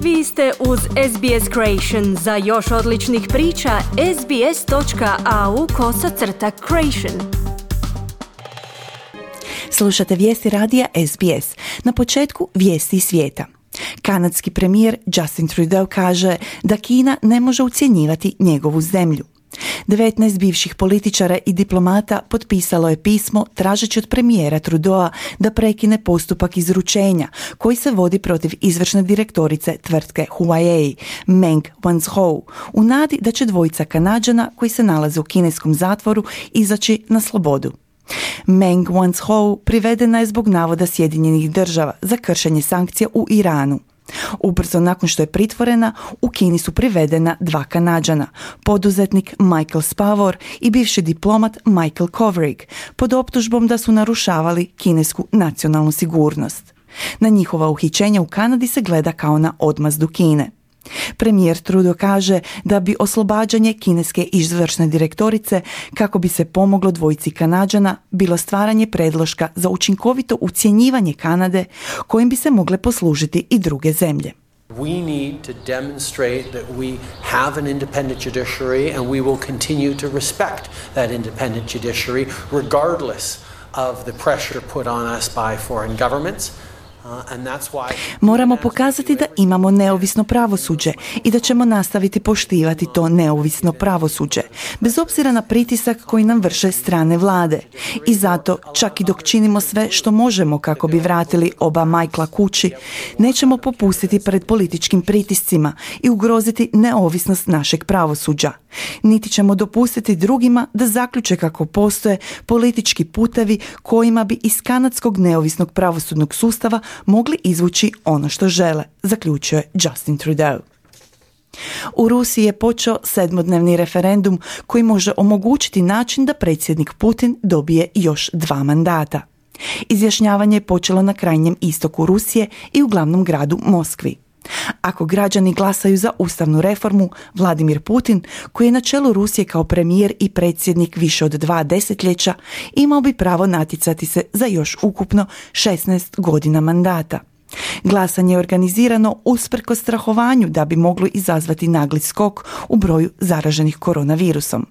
Vi ste uz SBS Creation. Za još odličnih priča, sbs.au/creation. Slušate vijesti radija SBS. Na početku vijesti iz svijeta. Kanadski premijer Justin Trudeau kaže da Kina ne može ucjenjivati njegovu zemlju. 19 bivših političara i diplomata potpisalo je pismo tražeći od premijera Trudeaua da prekine postupak izručenja koji se vodi protiv izvršne direktorice tvrtke Huawei, Meng Wanzhou, u nadi da će dvojica Kanađana koji se nalaze u kineskom zatvoru izaći na slobodu. Meng Wanzhou privedena je zbog navoda Sjedinjenih država za kršenje sankcija u Iranu. Ubrzo nakon što je pritvorena, u Kini su privedena dva Kanađana, poduzetnik Michael Spavor i bivši diplomat Michael Kovrig, pod optužbom da su narušavali kinesku nacionalnu sigurnost. Na njihova uhićenja u Kanadi se gleda kao na odmazdu Kine. Premijer Trudeau kaže da bi oslobađanje kineske izvršne direktorice, kako bi se pomoglo dvojici Kanađana, bilo stvaranje predloška za učinkovito ucjenjivanje Kanade kojim bi se mogle poslužiti i druge zemlje. We need to demonstrate that we have an independent judiciary and we will continue to respect that independent judiciary regardless of the pressure put on us by foreign governments. Moramo pokazati da imamo neovisno pravosuđe i da ćemo nastaviti poštivati to neovisno pravosuđe, bez obzira na pritisak koji nam vrše strane vlade. I zato, čak i dok činimo sve što možemo kako bi vratili oba Michaela kući, nećemo popustiti pred političkim pritiscima i ugroziti neovisnost našeg pravosuđa. Niti ćemo dopustiti drugima da zaključe kako postoje politički putevi kojima bi iz kanadskog neovisnog pravosudnog sustava mogli izvući ono što žele, zaključio je Justin Trudeau. U Rusiji je počeo 7-dnevni referendum koji može omogućiti način da predsjednik Putin dobije još 2 mandata. Izjašnjavanje je počelo na krajnjem istoku Rusije i u glavnom gradu Moskvi. Ako građani glasaju za ustavnu reformu, Vladimir Putin, koji je na čelu Rusije kao premijer i predsjednik više od 2 desetljeća, imao bi pravo natjecati se za još ukupno 16 godina mandata. Glasanje je organizirano usprkos strahovanju da bi moglo izazvati nagli skok u broju zaraženih koronavirusom.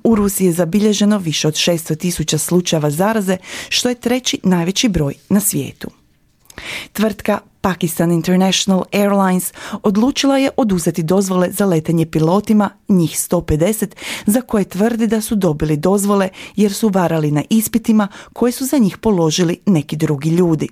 U Rusiji je zabilježeno više od 600.000 slučajeva zaraze, što je 3. najveći broj na svijetu. Tvrtka Pakistan International Airlines odlučila je oduzeti dozvole za letenje pilotima, njih 150, za koje tvrdi da su dobili dozvole jer su varali na ispitima koje su za njih položili neki drugi ljudi.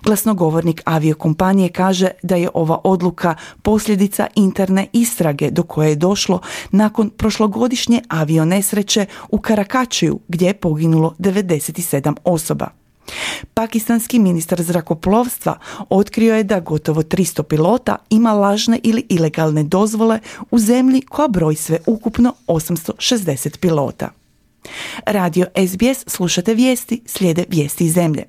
Glasnogovornik aviokompanije kaže da je ova odluka posljedica interne istrage do koje je došlo nakon prošlogodišnje avionesreće u Karakačiju gdje je poginulo 97 osoba. Pakistanski ministar zrakoplovstva otkrio je da gotovo 300 pilota ima lažne ili ilegalne dozvole u zemlji koja broji sve ukupno 860 pilota. Radio SBS, slušate vijesti, slijede vijesti iz zemlje.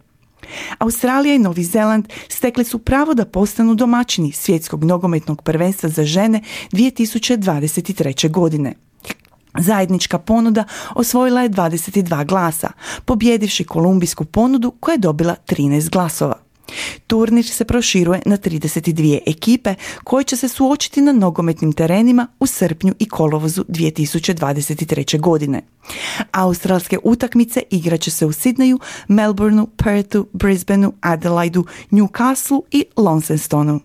Australija i Novi Zeland stekli su pravo da postanu domaćini svjetskog nogometnog prvenstva za žene 2023. godine. Zajednička ponuda osvojila je 22 glasa, pobjedivši kolumbijsku ponudu koja je dobila 13 glasova. Turnir se proširuje na 32 ekipe koje će se suočiti na nogometnim terenima u srpnju i kolovozu 2023. godine. Australske utakmice igraće se u Sidneyu, Melbourneu, Perthu, Brisbaneu, Adelaidu, Newcastleu i Launcestonu.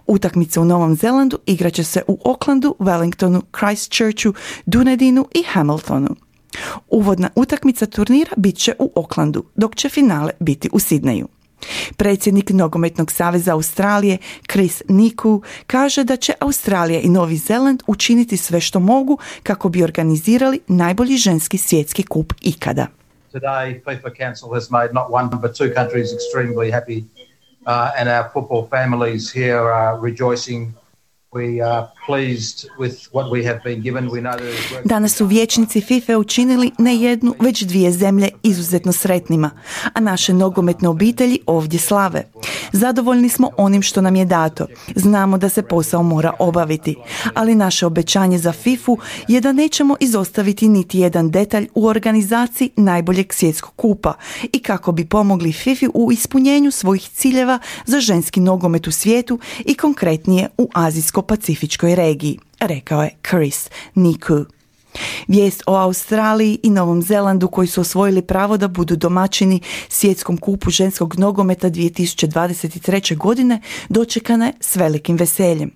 Utakmice u Novom Zelandu igraće se u Aucklandu, Wellingtonu, Christchurchu, Dunedinu i Hamiltonu. Uvodna utakmica turnira bit će u Aucklandu, dok će finale biti u Sidneyu. Predsjednik Nogometnog saveza Australije Chris Niku kaže da će Australija i Novi Zeland učiniti sve što mogu kako bi organizirali najbolji ženski svjetski kup ikada. Today FIFA Council has made not one but 2 countries extremely happy and our football families here are rejoicing Danas su vijećnici FIFA učinili ne jednu, već dvije zemlje izuzetno sretnima, a naše nogometne obitelji ovdje slave. Zadovoljni smo onim što nam je dato. Znamo da se posao mora obaviti, ali naše obećanje za FIFA je da nećemo izostaviti niti jedan detalj u organizaciji najboljeg svjetskog kupa i kako bi pomogli FIFA u ispunjenju svojih ciljeva za ženski nogomet u svijetu i konkretnije u azijsko-pacifičkoj regiji, rekao je Chris Niku. Vijest o Australiji i Novom Zelandu koji su osvojili pravo da budu domaćini svjetskom kupu ženskog nogometa 2023. godine dočekana je s velikim veseljem.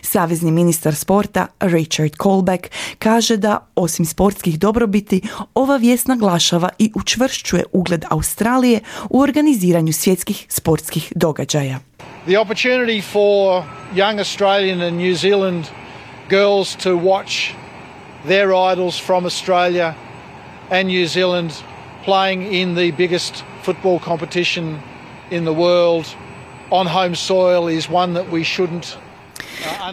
Savezni ministar sporta Richard Colbeck kaže da, osim sportskih dobrobiti, ova vijest naglašava i učvršćuje ugled Australije u organiziranju svjetskih sportskih događaja. The opportunity for young Australian and New Zealand girls to watch their idols from Australia and New Zealand playing in the biggest football competition in the world on home soil is one that we shouldn't.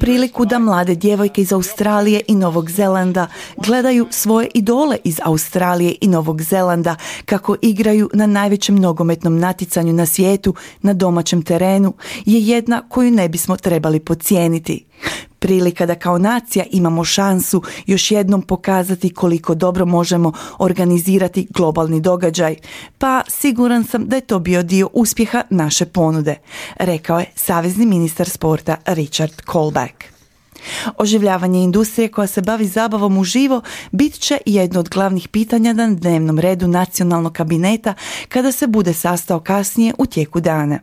Priliku da mlade djevojke iz Australije i Novog Zelanda gledaju svoje idole iz Australije i Novog Zelanda kako igraju na najvećem nogometnom natjecanju na svijetu na domaćem terenu je jedna koju ne bismo trebali podcijeniti. Prilika da kao nacija imamo šansu još jednom pokazati koliko dobro možemo organizirati globalni događaj, pa siguran sam da je to bio dio uspjeha naše ponude, rekao je savezni ministar sporta Richard Colbeck. Oživljavanje industrije koja se bavi zabavom uživo bit će jedno od glavnih pitanja na dnevnom redu nacionalnog kabineta kada se bude sastao kasnije u tijeku dana.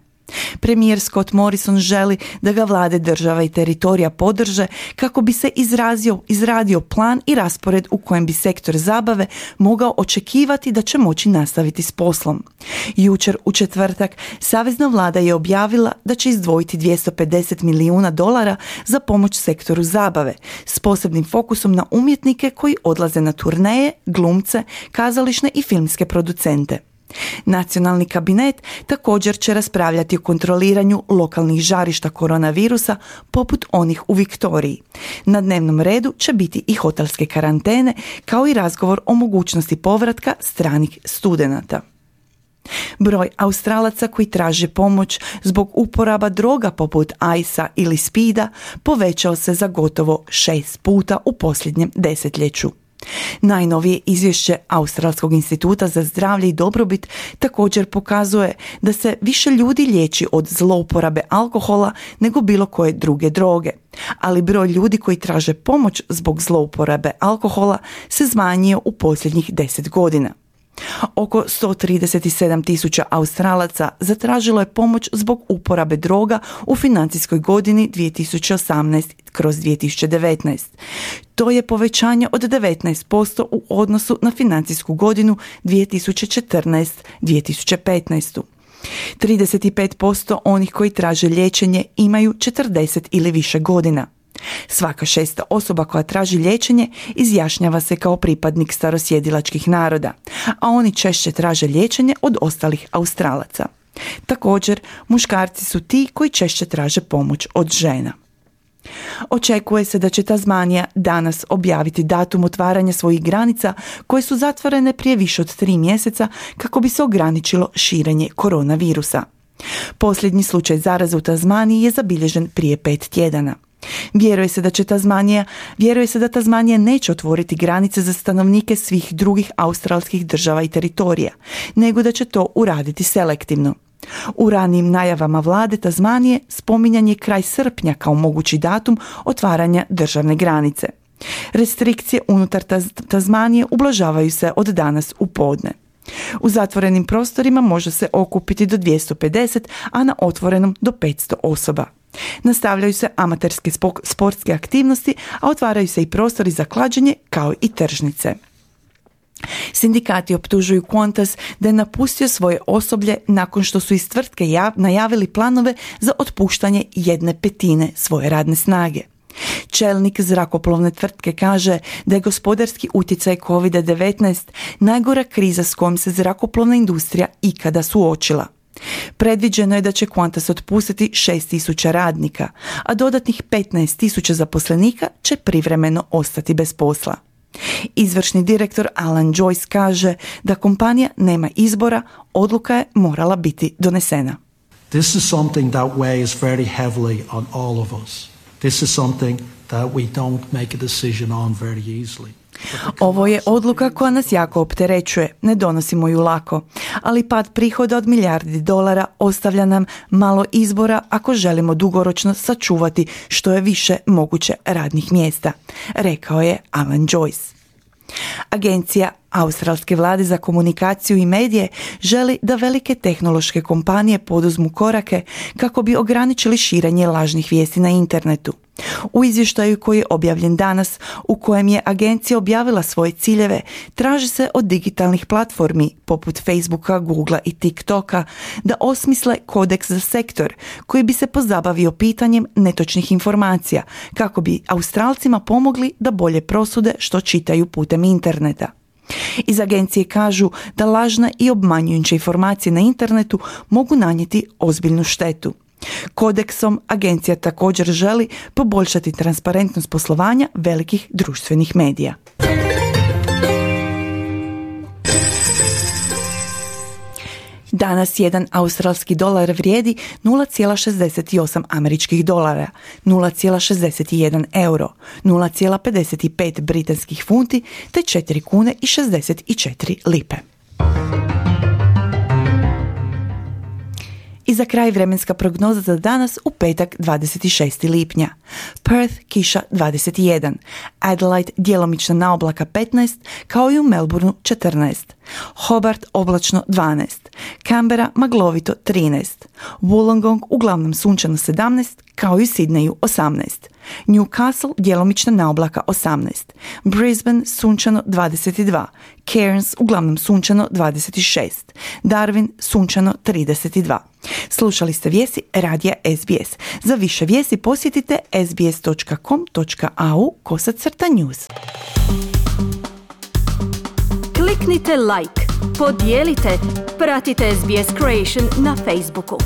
Premijer Scott Morrison želi da ga vlade država i teritorija podrže kako bi se izradio plan i raspored u kojem bi sektor zabave mogao očekivati da će moći nastaviti s poslom. Jučer u četvrtak savezna vlada je objavila da će izdvojiti $250 milijuna za pomoć sektoru zabave s posebnim fokusom na umjetnike koji odlaze na turneje, glumce, kazališne i filmske producente. Nacionalni kabinet također će raspravljati o kontroliranju lokalnih žarišta koronavirusa poput onih u Viktoriji. Na dnevnom redu će biti i hotelske karantene kao i razgovor o mogućnosti povratka stranih studenata. Broj Australaca koji traže pomoć zbog uporaba droga poput Ice-a ili Speeda povećao se za gotovo 6 puta u posljednjem desetljeću. Najnovije izvješće Australskog instituta za zdravlje i dobrobit također pokazuje da se više ljudi liječi od zlouporabe alkohola nego bilo koje druge droge, ali broj ljudi koji traže pomoć zbog zlouporabe alkohola se smanjio u posljednjih 10 godina. Oko 137.000 Australaca zatražilo je pomoć zbog uporabe droga u financijskoj godini 2018/2019. To je povećanje od 19% u odnosu na financijsku godinu 2014-2015. 35% onih koji traže liječenje imaju 40 ili više godina. Svaka 6. osoba koja traži liječenje izjašnjava se kao pripadnik starosjedilačkih naroda, a oni češće traže liječenje od ostalih Australaca. Također, muškarci su ti koji češće traže pomoć od žena. Očekuje se da će Tasmanija danas objaviti datum otvaranja svojih granica koje su zatvorene prije više od 3 mjeseca kako bi se ograničilo širenje koronavirusa. Posljednji slučaj zaraze u Tasmaniji je zabilježen prije 5 tjedana. Vjeruje se da Tasmanija neće otvoriti granice za stanovnike svih drugih australskih država i teritorija, nego da će to uraditi selektivno. U ranijim najavama vlade Tasmanije spominjan je kraj srpnja kao mogući datum otvaranja državne granice. Restrikcije unutar Tasmanije ublažavaju se od danas u podne. U zatvorenim prostorima može se okupiti do 250, a na otvorenom do 500 osoba. Nastavljaju se amaterske sportske aktivnosti, a otvaraju se i prostori za klađenje kao i tržnice. Sindikati optužuju Qantas da je napustio svoje osoblje nakon što su iz tvrtke najavili planove za otpuštanje 1/5 svoje radne snage. Čelnik zrakoplovne tvrtke kaže da je gospodarski utjecaj COVID-19 najgora kriza s kojom se zrakoplovna industrija ikada suočila. Predviđeno je da će Qantas otpustiti 6.000 radnika, a dodatnih 15.000 zaposlenika će privremeno ostati bez posla. Izvršni direktor Alan Joyce kaže da kompanija nema izbora, odluka je morala biti donesena. This is something that weighs very heavily on all of us. This is something that we don't make a decision on very easily. Ovo je odluka koja nas jako opterećuje, ne donosimo ju lako, ali pad prihoda od milijardi dolara ostavlja nam malo izbora ako želimo dugoročno sačuvati što je više moguće radnih mjesta, rekao je Alan Joyce. Agencija australske vlade za komunikaciju i medije želi da velike tehnološke kompanije poduzmu korake kako bi ograničili širenje lažnih vijesti na internetu. U izvještaju koji je objavljen danas, u kojem je agencija objavila svoje ciljeve, traži se od digitalnih platformi poput Facebooka, Googlea i TikToka da osmisle kodeks za sektor koji bi se pozabavio pitanjem netočnih informacija kako bi Australcima pomogli da bolje prosude što čitaju putem interneta. Iz agencije kažu da lažne i obmanjujuće informacije na internetu mogu nanijeti ozbiljnu štetu. Kodeksom agencija također želi poboljšati transparentnost poslovanja velikih društvenih medija. Danas jedan australski dolar vrijedi 0,68 američkih dolara, 0,61 euro, 0,55 britanskih funti te 4 kune i 64 lipe. I za kraj vremenska prognoza za danas u petak 26. lipnja. Perth kiša 21, Adelaide djelomična naoblaka 15, kao i u Melbourneu 14, Hobart oblačno 12, Canberra maglovito 13, Wollongong uglavnom sunčano 17, kao i u Sydneyu 18, Newcastle djelomična naoblaka 18, Brisbane sunčano 22, Cairns uglavnom sunčano 26, Darwin sunčano 32. Slušali ste vijesti radija SBS. Za više vijesti posjetite sbs.com.au/news. Kliknite like, podijelite, pratite SBS Creation na Facebooku.